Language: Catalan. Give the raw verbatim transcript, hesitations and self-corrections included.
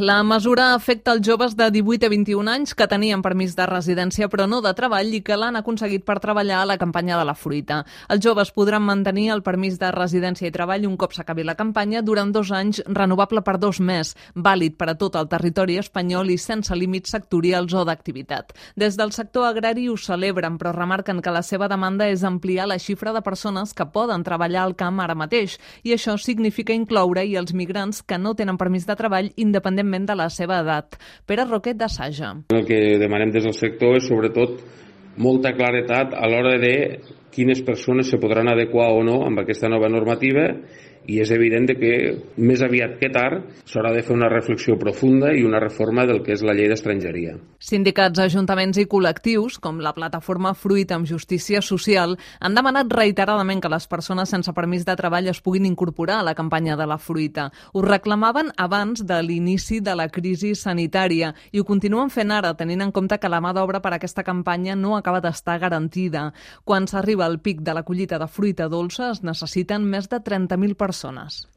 La mesura afecta els joves de divuit a vint-i-un anys que tenien permís de residència però no de treball i que l'han aconseguit per treballar a la campanya de la fruita. Els joves podran mantenir el permís de residència i treball un cop s'acabi la campanya durant dos anys, renovable per dos més, vàlid per a tot el territori espanyol i sense límits sectorials o d'activitat. Des del sector agrari ho celebren, però remarquen que la seva demanda és ampliar la xifra de persones que poden treballar al camp ara mateix, i això significa incloure-hi els migrants que no tenen permís de treball independentment de la seva edat. Pere Roquet, de Saja. El que demanem des del sector és sobretot molta claretat a l'hora de quines persones se podran adequar o no amb aquesta nova normativa, i és evident que més aviat que tard s'haurà de fer una reflexió profunda i una reforma del que és la llei d'estrangeria. Sindicats, ajuntaments i col·lectius, com la plataforma Fruit amb Justícia Social, han demanat reiteradament que les persones sense permís de treball es puguin incorporar a la campanya de la fruita. Ho reclamaven abans de l'inici de la crisi sanitària i ho continuen fent ara, tenint en compte que la mà d'obra per a aquesta campanya no acaba d'estar garantida. Quan s'arriba al pic de la collita de fruita dolça es necessiten més de trenta mil persones.